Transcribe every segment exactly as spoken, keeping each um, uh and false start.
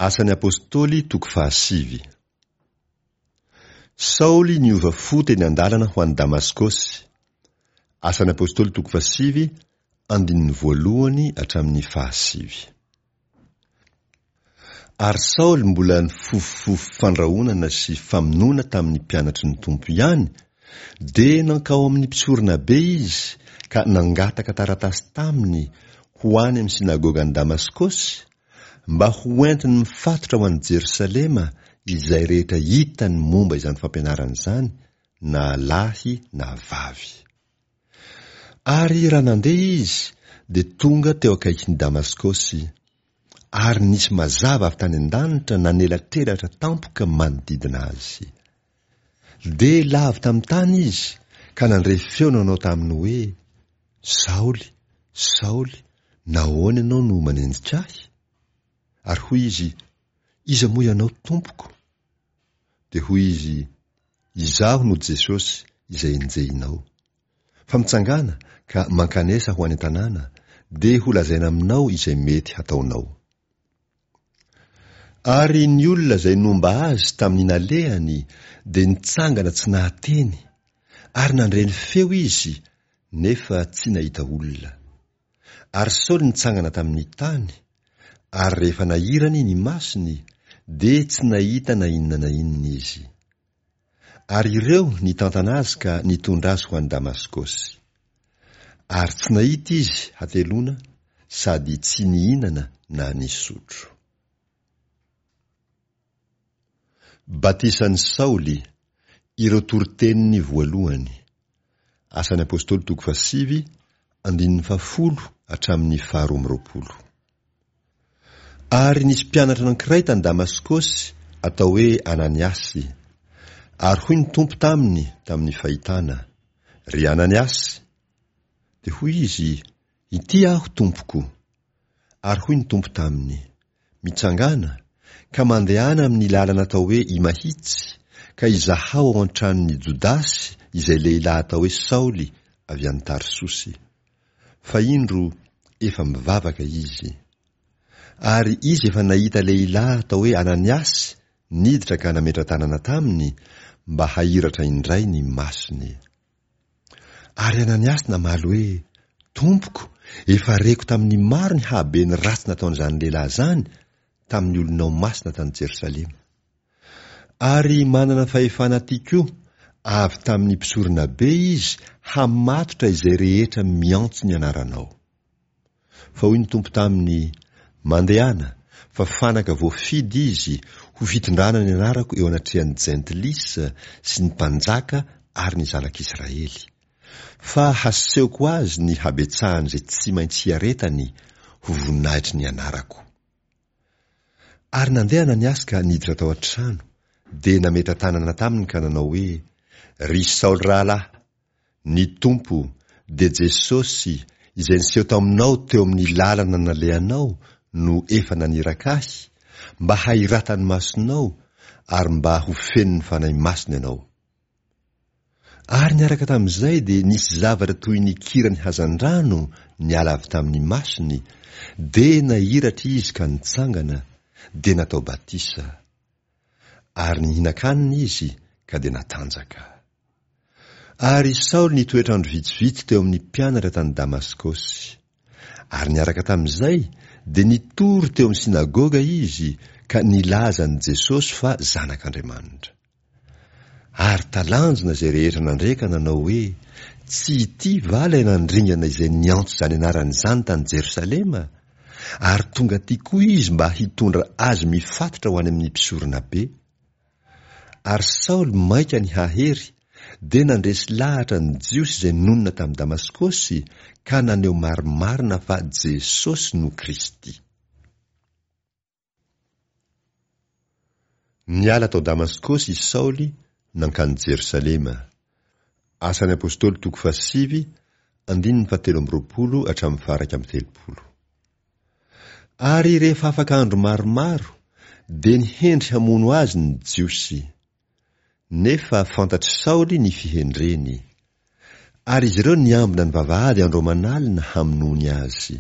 Asan'ny Apostoly toko fahasivy. Saoly niova fo teny an-dalana ho any Damaskosy. Asan'ny Apostoly toko fahasivy, andininy voalohany hatramin'ny fahasivy. Ary Saoly mbola nifofofofo fandrahonana sy famonoana tamin'ny mpianatry ny Tompo ihany, dia nankao amin'ny mpisoronabe izy ka nangataka taratasy taminy ho any amin'ny synagogan'i Damaskosy, mba ho entiny mifatotra ho any Jerosalema izay rehetra hitany momba izany fampianarana izany, na lahy na vavy. Ary raha nandeha izy, dia tonga teo akaikin'i Damaskosy, ary nisy mazava avy tany an-danitra nanelatrelatra tampoka manodidina azy. Dia lavo tamin'ny tany izy, ka nandre feo nanao taminy hoe, Saoly, Saoly, nahoana ianao no manenjika ahy? Ary hoy izy, Iza moa ianao, Tompoko? Dia hoy izy, Izaho no Jesosy izay enjehinao. Fa mitsangàna ka mankanesa ho any an-tanàna, dia holazaina aminao izay mety hataonao. Ary ny olona izay nomba azy tamin'ny nalehany dia nitsangana tsy nahateny, ary nandre ny feo izy, nefa tsy nahita olona. Ary Saoly nitsangana tamin'ny tany, ary rehefa nahirany ny masony, dia tsy nahita na inona na inona izy. Ary ireo nitantana azy ka nitondra azy ho any Damaskosy. Ary tsy nahita izy hateloana sady tsy nihinana na nisotro. Batisan'i Saoly, ireo toriteniny voalohany. Asan'ny Apostoly toko fahasivy, andininy fahafolo hatramin'ny faharoa amby roapolo. Ary nisy mpianatra anankiray tany Damaskosy atao hoe Ananiasy. Ary hoy ny Tompo taminy tamin'ny fahitana, Ry Ananiasy! Dia hoy izy, Ity aho, Tompoko. Ary hoy ny Tompo taminy, Mitsangàna, ka mandehana amin'ny lalana atao hoe Imahitsy, ka izahao ao an-tranon'i Jodasy izay lehilahy atao hoe Saoly avy any Tarsosy. Fa indro, efa mivavaka izy. Ary izy efa nahita lehilahy atao hoe Ananiasy niditra ka nametra-tanana taminy mba hahiratra indray ny masony. Ary Ananiasy namaly hoe, Tompoko, efa reko tamin'ny maro ny hahaben'ny ratsy nataon'izany lehilahy izany tamin'ny olonao masina tany Jerosalema. Ary manana fahefana aty koa avy tamin'ny mpisoronabe izy hamatotra izay rehetra miantso ny anaranao. Fa hoy ny Tompo taminy, Mandehana, fa fanaka voafidy izy ho fitondrana ny anarako eo anatrehan'ny jentilisa sy ny mpanjaka ary ny zanak'Israely. Fa hasehoko azy ny habetsahan'izay tsy maintsy hiaretany ho voninahitry ny anarako. Ary nandeha Ananiasy ka niditra tao an-trano, dia nametra-tanana taminy ka nanao hoe, Ry Saoly rahalahy, ny Tompo, dia Jesosy, izay niseho taminao teo amin'ny lalana nalehanao no efa naniraka ahy, mba hahiratan'ny masonao ary mba ho fenon'ny Fanahy Masina ianao. Ary niaraka tamin'izay dia nisy zavatra toy ny kiran'ny hazandrano niala avy tamin'ny masony, dia nahiratra izy ka nitsangana, dia natao batisa. Ary nihinan-kanina izy ka dia natanjaka. Ary Saoly nitoetra andro vitsivitsy teo amin'ny mpianatra tany Damaskosy. Ary niaraka tamin'izay dia nitory teo amin'ny synagoga izy ka nilaza an'i Jesosy fa Zanak'Andriamanitra. Ary talanjona izay rehetra nandre ka nanao hoe, Tsy ity va ilay nandringana izay niantso izany anarana izany tany Jerosalema? Ary tonga aty koa izy mba hitondra azy mifatotra ho any amin'ny mpisoronabe. Ary Saoly mainka nihahery, dia nandresy lahatra ny Jiosy izay nonina tamin'i Damaskosy ka naneho marimarina fa Jesosy no Kristy. Niala tao Damaskosy i Saoly nankany Jerosalema. Asan'ny Apostoly toko fahasivy, andininy fahatelo amby roapolo hatramin'ny faha-iraika amby telopolo. Ary rehefa afaka andro maromaro, dia nihendry hamono azy ny Jiosy. Nefa fantatr'i Saoly ny fihendreny. Ary izy ireo niambina ny vavahady andro aman'alina hamonoany azy.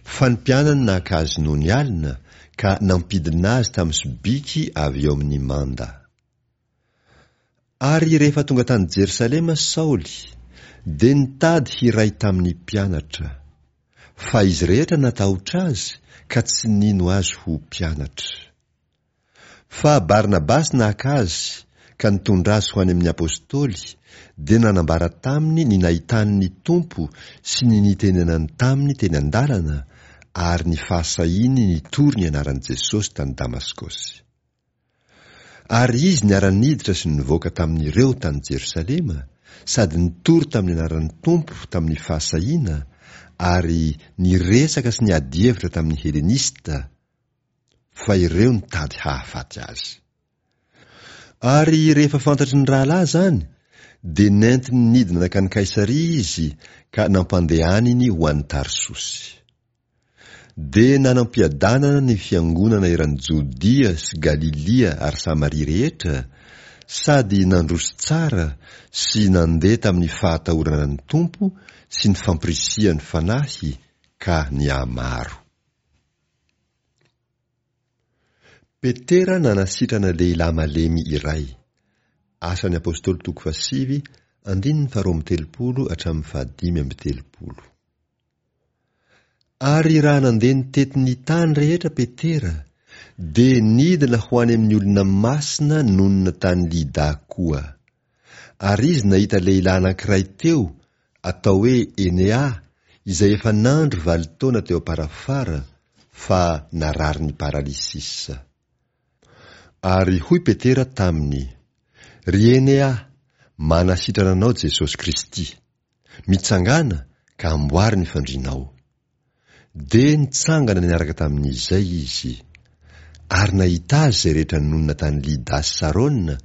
Fa ny mpianany naka azy nony alina, ka nampidina azy tamin'ny sobiky avy eo amin'ny manda. Ary rehefa tonga tany Jerosalema Saoly, dia nitady hiray tamin'ny mpianatra. Fa izy rehetra natahotra azy ka tsy nino azy ho mpianatra. Fa Barnabasy naka azy ka nitondra azy ho any amin'ny apostoly, dia nanambara taminy ny nahitany ny Tompo sy ny nitenenany taminy teny an-dalana ary ny fahasahiany nitory ny anaran'i Jesosy tany Damaskosy. Ary izy niara-niditra sy nivoaka tamin'ireo tany Jerosalema, sady nitory tamin'ny anaran'ny Tompo tamin'ny fahasahiana, ary niresaka sy niady hevitra tamin'ny Helenista, fa ireo nitady hahafaty azy. Ary rehefa fantatry ny rahalahy izany, dia nentiny nidina nankany Kaisaria izy ka nampandehaniny ho any Tarsosy. Dia nanam-piadanana ny fiangonana eran'i Jodia sy Galilia ary Samaria rehetra, sady nandroso tsara sy nandeha tamin'ny fahatahorana ny Tompo sy ny fampirisihan'ny Fanahy ka nihamaro. Petera nanasitrana lehilahy malemy iray. Asan'ny Apostoly toko fahasivy, andininy faharoa amby telopolo hatramin'ny fahadimy amby telopolo. Ary raha nandeha nitety ny tany rehetra Petera, dia nidina ho any amin'ny olona masina nonina tany Lida koa. Ary izy nahita lehilahy anankiray teo, atao hoe Enea, izay efa nandro valo taona teo am-parafara, fa narary ny paralysisa. Ary hoy Petera taminy, Ry Enea, manasitrana anao Jesosy Kristy. Mitsangàna ka amboary ny fandrianao. Dia nitsangana niaraka tamin'izay izy. Ary nahita azy izay rehetra nonina tany Lida sy Sarona,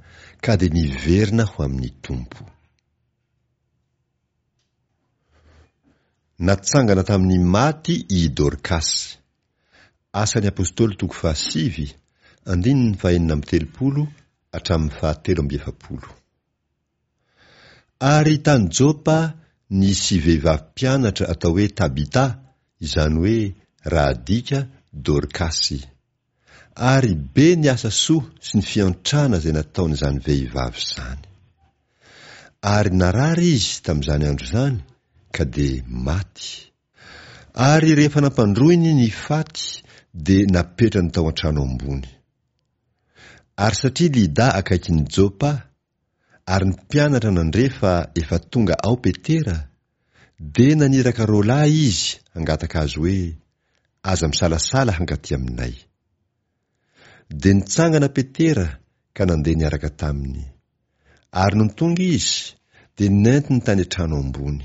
ka dia niverina ho amin'ny Tompo. Natsangana tamin'ny maty i Dorkasy. Asan'ny Apostoly toko fahasivy, andininy fahenina amby telopolo hatramin'ny fahatelo amby efapolo. Ary tany Jopa nisy vehivavy mpianatra atao hoe Tabita, izany hoe raha adika Dorkasy. Ary be ny asa soa sy ny fiantrana izay nataon'izany vehivavy izany. Ary narary izy tamin'izany andro izany, ka dia maty. Ary rehefa nampandroiny ny faty, dia napetrany tao an-trano ambony. Ary satria Lida akaikin'i Jopa, ary ny mpianatra nandre fa efa tonga ao Petera, dia naniraka roa lahy izy hangataka azy hoe, Aza misalasala hankaty aminay. Dia nitsangana Petera ka nandeha niaraka taminy. Ary nony tonga izy, dia nentiny tany an-trano ambony.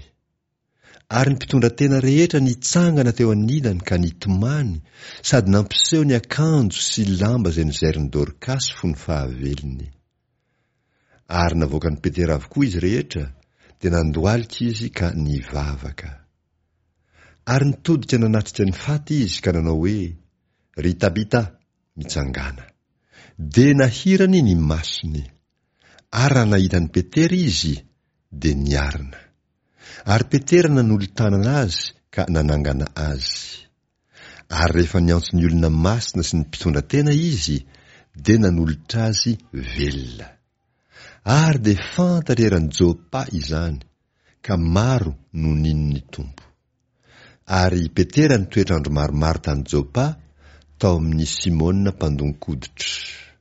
Ary ny mpitondratena rehetra nitsangana teo anilany ka nitomany, sady nampiseho ny akanjo sy lamba izay nozairin'i Dorkasy fony fahavelony. Ary navoakan'i Petera avokoa izy rehetra, dia nandohalika izy ka nivavaka. Ary nitodika nanatrika ny faty izy ka nanao hoe, Ry Tabita, mitsangàna. Dia nahirany ny masony. Ary raha nahita an'i Petera izy, dia niarina. Ary Petera nanolo-tanana azy ka nanangana azy. Ary rehefa niantso ny olona masina sy ny mpitondra tena izy, dia nanolotra azy velona. Ary dia fantatra eran'i Jopa izany, ka maro no nino ny Tompo. Ary Petera nitoetra andro maromaro tany Jopa, tao amin'i Simona mpandon-koditra.